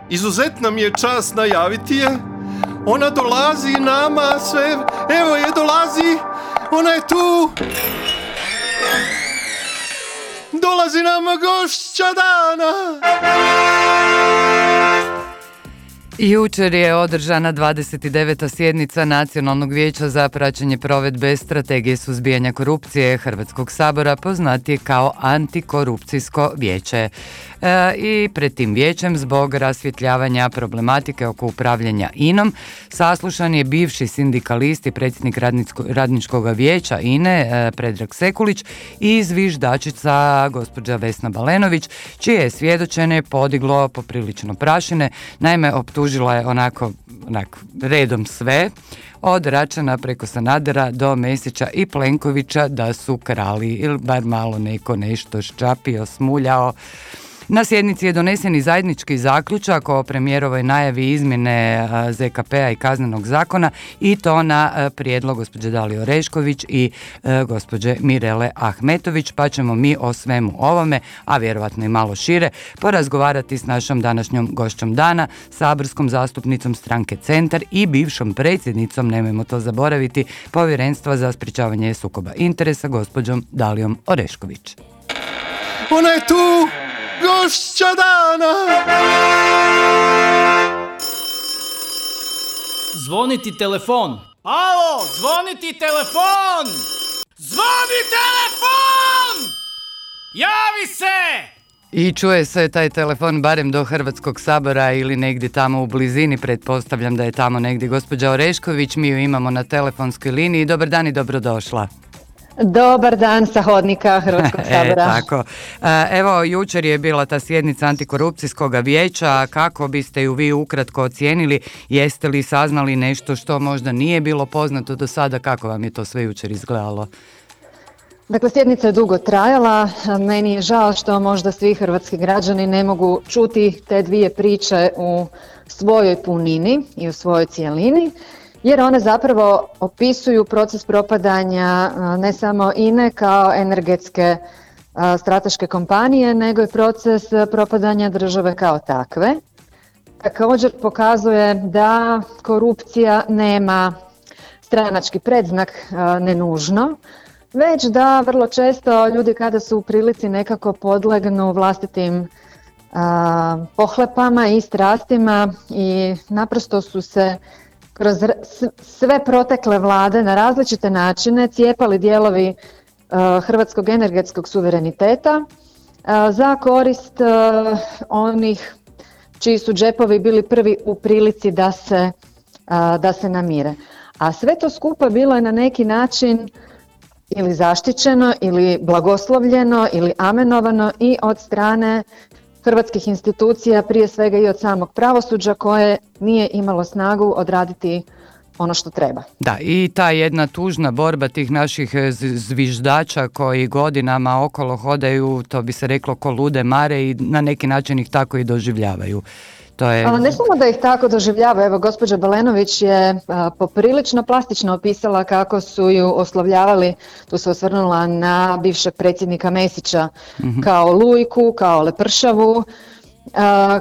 izuzetna mi je čast najaviti je. Ona dolazi nama sve, evo je dolazi, ona je tu. Dolazi nama gošća dana. Jučer je održana 29. sjednica Nacionalnog vijeća za praćenje provedbe strategije suzbijanja korupcije Hrvatskog sabora, poznatije kao Antikorupcijsko vijeće. I pred tim vijećem, zbog rasvjetljavanja problematike oko upravljanja INA-om, saslušan je bivši sindikalist i predsjednik radničkog vijeća INA-e Predrag Sekulić i zviždačica gospođa Vesna Balenović, čije je svjedočenje podiglo poprilično prašine. Naime, optužila je onako redom sve, od Račana preko Sanadera do Mesića i Plenkovića, da su krali ili bar malo neko nešto ščapio, smuljao. Na sjednici je donesen i zajednički zaključak o premijerovoj najavi izmjene ZKP-a i Kaznenog zakona, i to na prijedlog gospođe Dalije Orešković i gospođe Mirele Ahmetović, pa ćemo mi o svemu ovome, a vjerovatno i malo šire, porazgovarati s našom današnjom gošćom dana, saborskom zastupnicom stranke Centar i bivšom predsjednicom, nemojmo to zaboraviti, Povjerenstva za sprječavanje sukoba interesa, gospođom Dalijom Orešković. Ona je tu! Gošća dana! Zvoniti telefon. Alo, zvoniti telefon! Zvoni telefon! Javi se! I čuje se taj telefon barem do Hrvatskog sabora ili negdje tamo u blizini, pretpostavljam da je tamo negdje gospođa Orešković, mi ju imamo na telefonskoj liniji. Dobar dan i dobrodošla. Dobar dan sa hodnika Hrvatskog sabora. Tako. Evo, jučer je bila ta sjednica Antikorupcijskog vijeća. Kako biste ju vi ukratko ocijenili? Jeste li saznali nešto što možda nije bilo poznato do sada? Kako vam je to sve jučer izgledalo? Dakle, sjednica je dugo trajala. Meni je žao što možda svi hrvatski građani ne mogu čuti te dvije priče u svojoj punini i u svojoj cijelini, jer one zapravo opisuju proces propadanja ne samo INA-e kao energetske strateške kompanije, nego i proces propadanja države kao takve. Također pokazuje da korupcija nema stranački predznak, ne nužno, već da vrlo često ljudi kada su u prilici nekako podlegnu vlastitim pohlepama i strastima i naprosto su se kroz sve protekle vlade na različite načine cijepali dijelovi hrvatskog energetskog suvereniteta za korist onih čiji su džepovi bili prvi u prilici da se namire. A sve to skupa bilo je na neki način ili zaštićeno ili blagoslovljeno ili amenovano i od strane hrvatskih institucija, prije svega i od samog pravosuđa koje nije imalo snagu odraditi ono što treba. Da, i ta jedna tužna borba tih naših zviždača koji godinama okolo hodaju, to bi se reklo ko lude mare, i na neki način ih tako i doživljavaju. Ne samo da ih tako doživljava, evo gospođa Balenović je poprilično plastično opisala kako su ju oslovljavali, tu se osvrnula na bivšeg predsjednika Mesića, kao lujku, kao lepršavu,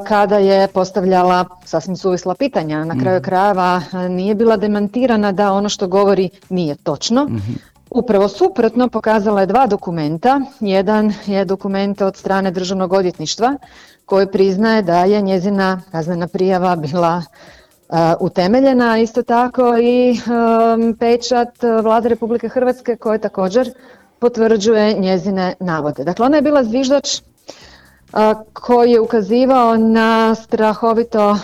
kada je postavljala sasvim suvisla pitanja. Na kraju krajeva nije bila demantirana da ono što govori nije točno. Upravo suprotno, pokazala je dva dokumenta. Jedan je dokument od strane Državnog odvjetništva koji priznaje da je njezina kaznena prijava bila utemeljena, isto tako i pečat Vlade Republike Hrvatske koji također potvrđuje njezine navode. Dakle, ona je bila zviždač koji je ukazivao na strahovito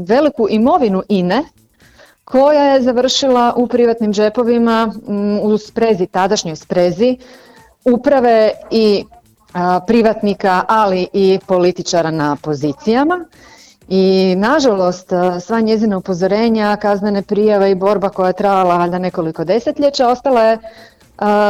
veliku imovinu INA-e koja je završila u privatnim džepovima u sprezi, tadašnjoj sprezi uprave i privatnika, ali i političara na pozicijama. I nažalost, sva njezina upozorenja, kaznene prijave i borba koja je trajala valjda nekoliko desetljeća ostala je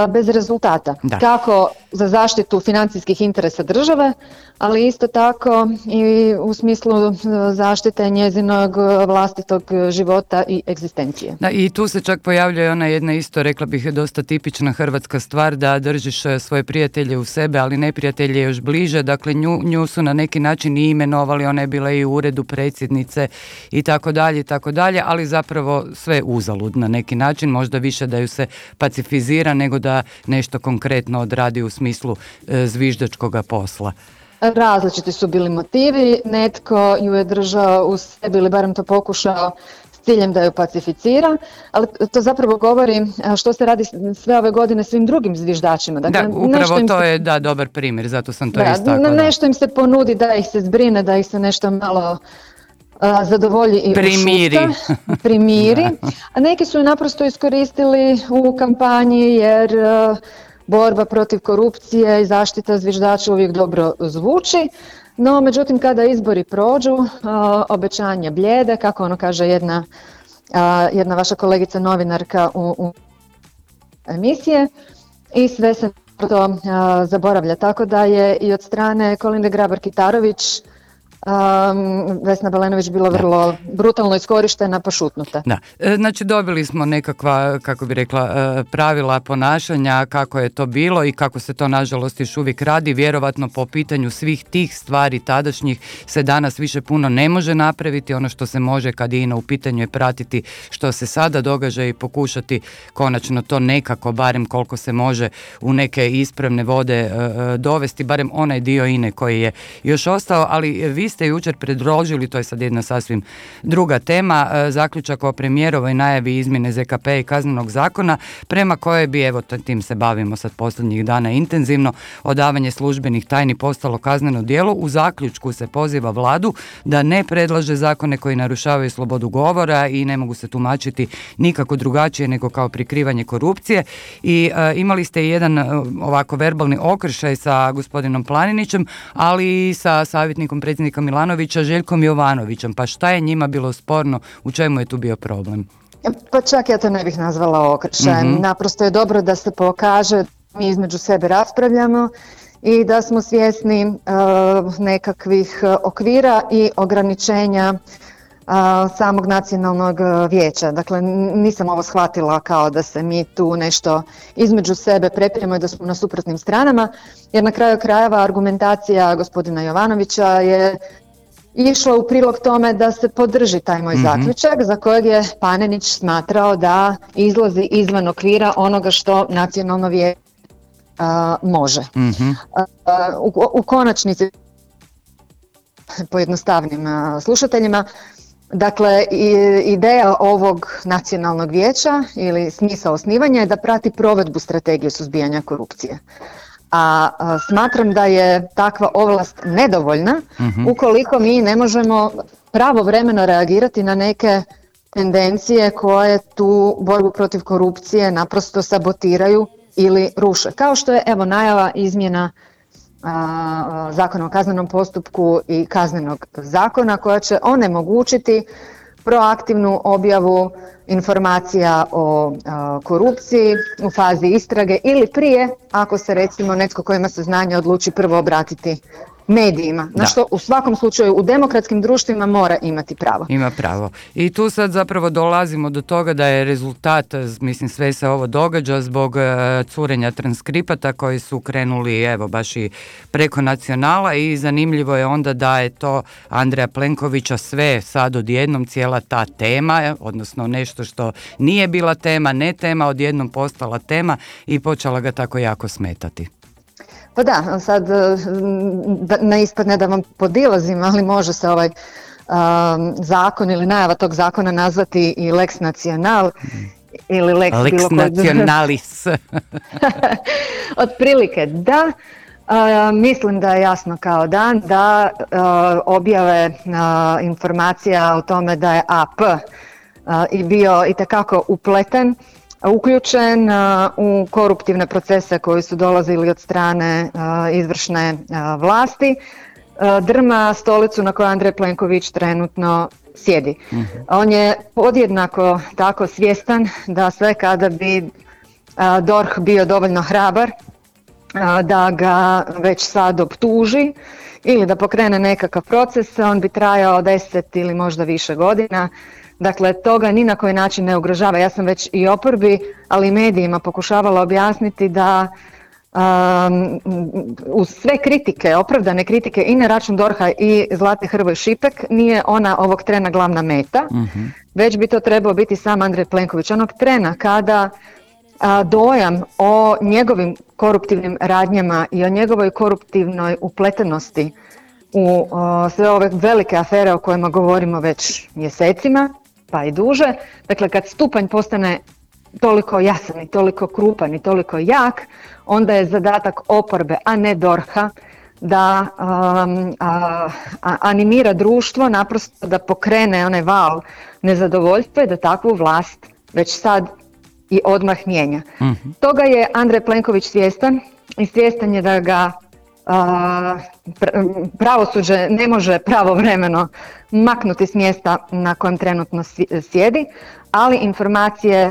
bez rezultata. Da. Kako za zaštitu financijskih interesa države, ali isto tako i u smislu zaštite njezinog vlastitog života i egzistencije. Da, i tu se čak pojavljuje ona jedna isto, rekla bih, dosta tipična hrvatska stvar, da držiš svoje prijatelje u sebe, ali neprijatelje još bliže. Dakle, nju su na neki način i imenovali, ona je bila i u uredu predsjednice i tako dalje, ali zapravo sve uzalud na neki način, možda više da ju se pacifizira nego da nešto konkretno odradi u smislu zviždačkoga posla. Različiti su bili motivi, netko ju je držao u sebi ili barem to pokušao s ciljem da ju pacificira, ali to zapravo govori što se radi sve ove godine svim drugim zviždačima. Dakle, da, upravo to je dobar primjer, zato sam to istakla. Nešto im se ponudi da ih se zbrine, da ih se nešto malo zadovolji i primiri, a neki su je naprosto iskoristili u kampanji jer borba protiv korupcije i zaštita zviždača uvijek dobro zvuči, no međutim kada izbori prođu, obećanja blijede, kako ono kaže jedna vaša kolegica novinarka u emisije, i sve se to zaboravlja, tako da je i od strane Kolinde Grabar-Kitarović Vesna Balenović bila vrlo brutalno iskorištena pa šutnuta. Da, znači dobili smo nekakva, kako bi rekla, pravila ponašanja, kako je to bilo i kako se to nažalost još uvijek radi. Vjerovatno po pitanju svih tih stvari tadašnjih se danas više puno ne može napraviti. Ono što se može kad je INA u pitanju je pratiti što se sada događa i pokušati konačno to nekako, barem koliko se može, u neke ispravne vode dovesti, barem onaj dio INA koji je još ostao, ali vi ste jučer predložili, to je sad jedna sasvim druga tema, zaključak o premijerovoj najavi izmjene ZKP i Kaznenog zakona, prema kojoj bi, evo tim se bavimo sad posljednjih dana intenzivno, odavanje službenih tajni postalo kazneno djelo. U zaključku se poziva vladu da ne predlaže zakone koji narušavaju slobodu govora i ne mogu se tumačiti nikako drugačije nego kao prikrivanje korupcije. I imali ste jedan ovako verbalni okršaj sa gospodinom Planinićem, ali i sa savjetnikom predsjednika Milanovića, Željkom Jovanovićem. Pa šta je njima bilo sporno? U čemu je tu bio problem? Pa čak ja to ne bih nazvala okršajem. Naprosto je dobro da se pokaže, mi između sebe raspravljamo i da smo svjesni nekakvih okvira i ograničenja samog nacionalnog vijeća. Dakle, nisam ovo shvatila kao da se mi tu nešto između sebe prepiremo i da smo na suprotnim stranama, jer na kraju krajeva argumentacija gospodina Jovanovića je išla u prilog tome da se podrži taj moj zaključak, za kojeg je Panenić smatrao da izlazi izvan okvira onoga što nacionalno vijeće može. U konačnici, pojednostavnim slušateljima, dakle, ideja ovog nacionalnog vijeća ili smisao osnivanja je da prati provedbu strategije suzbijanja korupcije. A smatram da je takva ovlast nedovoljna ukoliko mi ne možemo pravovremeno reagirati na neke tendencije koje tu borbu protiv korupcije naprosto sabotiraju ili ruše. Kao što je, evo, najava izmjena Zakona o kaznenom postupku i Kaznenog zakona koja će onemogućiti proaktivnu objavu informacija o korupciji u fazi istrage ili prije, ako se recimo netko ko ima saznanje odluči prvo obratiti medijima, na što u svakom slučaju u demokratskim društvima mora imati pravo. Ima pravo. I tu sad zapravo dolazimo do toga da je rezultat, mislim, sve se ovo događa zbog curenja transkripata koji su krenuli, evo, baš i preko Nacionala, i zanimljivo je onda da je to Andreja Plenkovića sve sad odjednom, cijela ta tema, odnosno nešto što nije bila tema, ne tema, odjednom postala tema i počela ga tako jako smetati. Pa da, sad ne ispadne da vam podilazim, ali može se ovaj zakon ili najava tog zakona nazvati i Lex Nacional ili Lex Nacionalis. Otprilike da. Mislim da je jasno kao dan da objave informacija o tome da je AP i bio itekako upleten, uključen u koruptivne procese koji su dolazili od strane izvršne vlasti, drma stolicu na kojoj Andrej Plenković trenutno sjedi. On je podjednako tako svjestan da sve kada bi DORH bio dovoljno hrabar da ga već sad optuži ili da pokrene nekakav proces, on bi trajao 10 ili možda više godina. Dakle, toga ni na koji način ne ugrožava. Ja sam već i oporbi, ali i medijima pokušavala objasniti da uz sve kritike, opravdane kritike i na račun DORH-a i Zlate Hrvoj Šipek, nije ona ovog trena glavna meta, već bi to trebao biti sam Andrej Plenković. Onog trena kada dojam o njegovim koruptivnim radnjama i o njegovoj koruptivnoj upletenosti u sve ove velike afere o kojima govorimo već mjesecima, pa i duže, dakle kad stupanj postane toliko jasan i toliko krupan i toliko jak, onda je zadatak oporbe, a ne DORH-a, da animira društvo, naprosto da pokrene onaj val nezadovoljstva i da takvu vlast već sad i odmah mijenja. Toga je Andrej Plenković svjestan i svjestan je da ga pravosuđe ne može pravovremeno maknuti s mjesta na kojem trenutno sjedi, ali informacije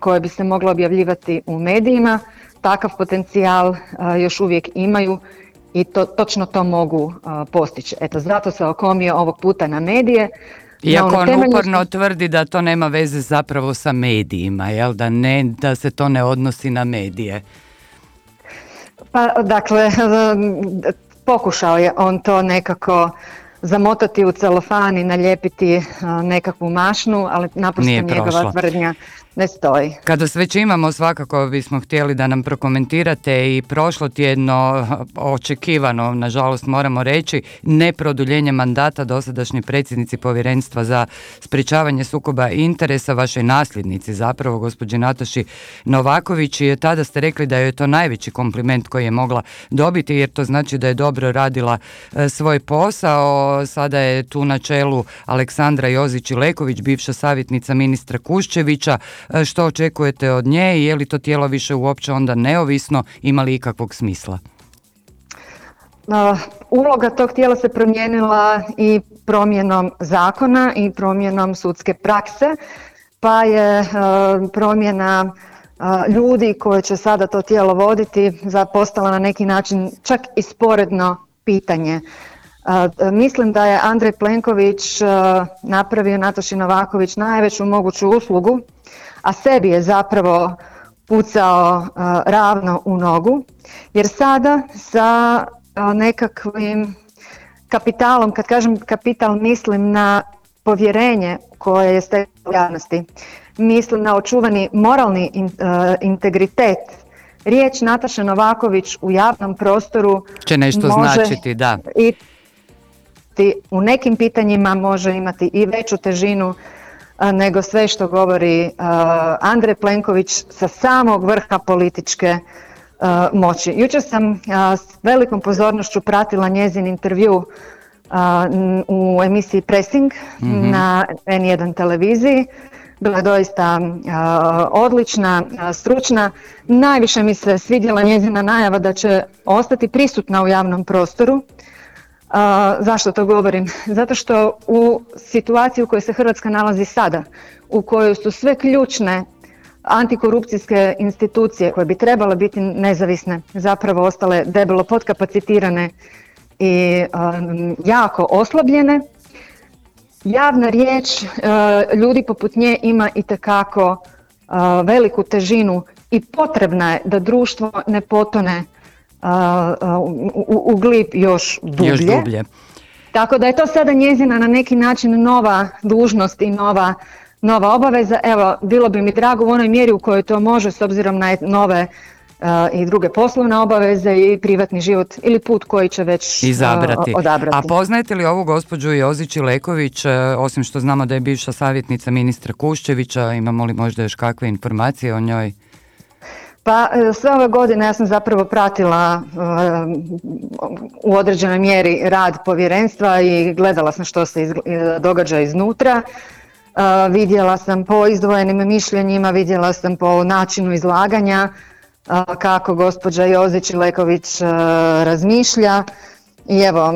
koje bi se mogle objavljivati u medijima takav potencijal još uvijek imaju i točno to mogu postići. Eto, zato se okomio ovog puta na medije. Iako on uporno tvrdi da to nema veze zapravo sa medijima, jel? Da se to ne odnosi na medije. Pa, dakle, pokušao je on to nekako zamotati u celofan i nalijepiti nekakvu mašnu, ali naprosto njegova tvrdnja ne stoji. Kada se već imamo, svakako bismo htjeli da nam prokomentirate i prošlo tjedno očekivano, nažalost moramo reći, neproduljenje mandata dosadašnjoj predsjednici Povjerenstva za sprječavanje sukoba interesa, vašoj nasljednici zapravo, gospođi Nataši Novaković, i tada ste rekli da je to najveći kompliment koji je mogla dobiti, jer to znači da je dobro radila svoj posao. Sada je tu na čelu Aleksandra Jozić-Ileković, bivša savjetnica ministra Kuščevića. Što očekujete od nje i je li to tijelo više uopće onda neovisno, ima li ikakvog smisla? Uloga tog tijela se promijenila i promjenom zakona i promjenom sudske prakse, pa je promjena ljudi koji će sada to tijelo voditi postala na neki način čak i sporedno pitanje. Mislim da je Andrej Plenković napravio Nataši Novaković najveću moguću uslugu, a sebi je zapravo pucao ravno u nogu, jer sada sa nekakvim kapitalom, kad kažem kapital mislim na povjerenje koje je steklo u javnosti, mislim na očuvani moralni integritet. Riječ Nataše Novaković u javnom prostoru će nešto značiti, da. I u nekim pitanjima može imati i veću težinu nego sve što govori Andrej Plenković sa samog vrha političke moći. Jučer sam s velikom pozornošću pratila njezin intervju u emisiji Pressing na N1 televiziji. Bila je doista odlična, stručna. Najviše mi se svidjela njezina najava da će ostati prisutna u javnom prostoru. Zašto to govorim? Zato što u situaciji u kojoj se Hrvatska nalazi sada, u kojoj su sve ključne antikorupcijske institucije koje bi trebale biti nezavisne, zapravo ostale debelo podkapacitirane i jako oslabljene, javna riječ ljudi poput nje ima itekako veliku težinu i potrebna je da društvo ne potone u glib još dublje. Tako da je to sada njezina na neki način nova dužnost i nova obaveza. Evo, bilo bi mi drago u onoj mjeri u kojoj to može s obzirom na nove i druge poslovne obaveze i privatni život ili put koji će već odabrati. A poznajete li ovu gospođu Jozić-Ileković, osim što znamo da je bivša savjetnica ministra Kuščevića, imamo li možda još kakve informacije o njoj? Pa sve ove godine ja sam zapravo pratila u određenoj mjeri rad povjerenstva i gledala sam što se događa iznutra. Vidjela sam po izdvojenim mišljenjima, vidjela sam po načinu izlaganja kako gospođa Jozić-Ileković razmišlja i evo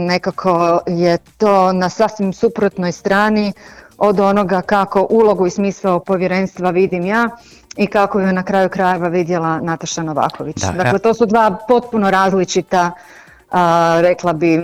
nekako je to na sasvim suprotnoj strani od onoga kako ulogu i smisao povjerenstva vidim ja, i kako ju je na kraju krajeva vidjela Nataša Novaković. Da, dakle, to su dva potpuno različita, rekla bi,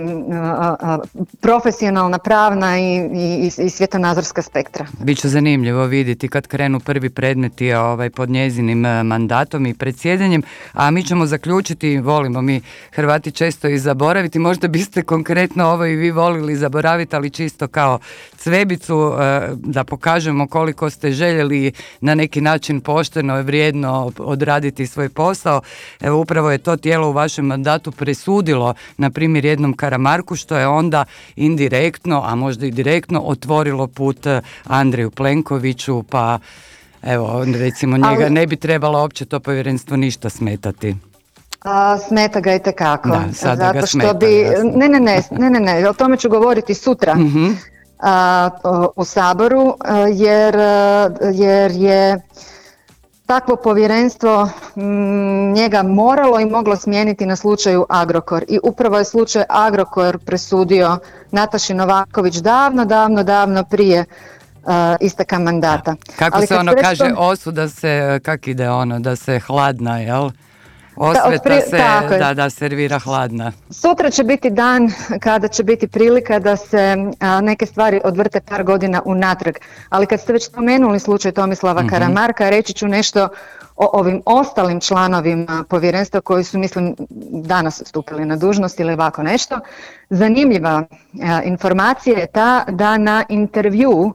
profesionalna, pravna i svjetonazorska spektra. Biće zanimljivo vidjeti kad krenu prvi predmeti pod njezinim mandatom i predsjedanjem, a mi ćemo zaključiti, volimo mi Hrvati često i zaboraviti, možda biste konkretno ovo i vi volili zaboraviti, ali čisto kao cvebicu da pokažemo koliko ste željeli na neki način pošteno i vrijedno odraditi svoj posao. Evo, upravo je to tijelo u vašem mandatu presudilo na primjer jednom Karamarku, što je onda indirektno, a možda i direktno otvorilo put Andreju Plenkoviću, pa evo, recimo njega ne bi trebalo uopće to povjerenstvo ništa smetati. Smeta ga itekako. Da, sada zato ga što smeta. Ne, o tome ću govoriti sutra u Saboru, jer je takvo povjerenstvo njega moralo i moglo smijeniti na slučaju Agrokor. I upravo je slučaj Agrokor presudio Nataši Novaković davno prije isteka mandata. Kako ali se kaže, osuda se, kak ide da se hladna, jel? Osveta se, da servira hladna. Sutra će biti dan kada će biti prilika da se neke stvari odvrte par godina unatrag. Ali kad ste već spomenuli slučaj Tomislava Karamarka, reći ću nešto o ovim ostalim članovima povjerenstva koji su, mislim, danas stupili na dužnost ili ovako nešto. Zanimljiva informacija je ta da na intervju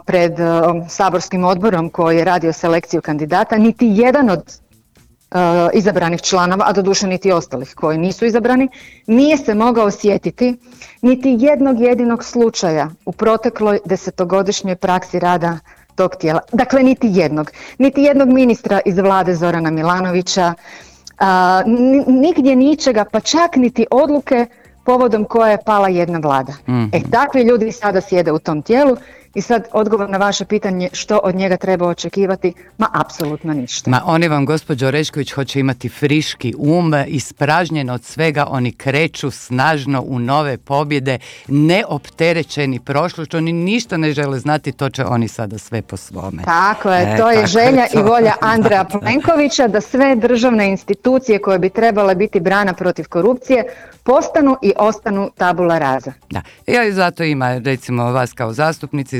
pred saborskim odborom koji je radio selekciju kandidata, niti jedan od izabranih članova, a doduše niti ostalih koji nisu izabrani, nije se mogao sjetiti niti jednog jedinog slučaja u protekloj 10-godišnjoj praksi rada tog tijela. Dakle, niti jednog ministra iz vlade Zorana Milanovića, nigdje ničega, pa čak niti odluke povodom koje je pala jedna vlada. Takvi ljudi sada sjede u tom tijelu. I sad odgovor na vaše pitanje što od njega treba očekivati, apsolutno ništa. Oni vam, gospođo Orešković, hoće imati friški ispražnjen od svega, oni kreću snažno u nove pobjede, neopterećeni prošlošću, oni ništa ne žele znati, to će oni sada sve po svome. Tako je, to je želja i volja Andreja Plenkovića da sve državne institucije koje bi trebale biti brana protiv korupcije postanu i ostanu tabula rasa. Da, i zato ima recimo vas kao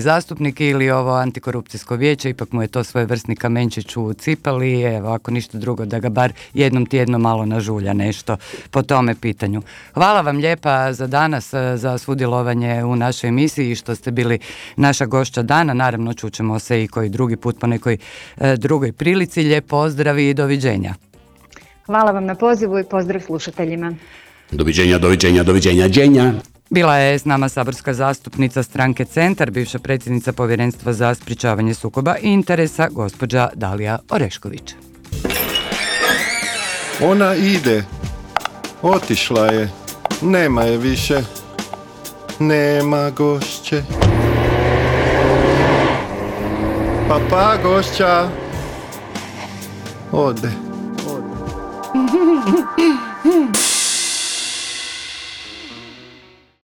zastupnike ili ovo antikorupcijsko vijeće, ipak mu je to svojevrsni kamenčić u cipeli, evo ako ništa drugo da ga bar jednom tjedno malo nažulja nešto po tome pitanju. Hvala vam lijepa za danas, za sudjelovanje u našoj emisiji i što ste bili naša gošća dana, naravno čućemo se i koji drugi put po nekoj drugoj prilici, lijep pozdrav i doviđenja. Hvala vam na pozivu i pozdrav slušateljima. Doviđenja, Đenja. Bila je s nama saborska zastupnica stranke Centar, bivša predsjednica Povjerenstva za sprječavanje sukoba interesa, gospođa Dalija Orešković. Ona ide. Otišla je. Nema je više. Nema gošće. Pa gošća. Ode.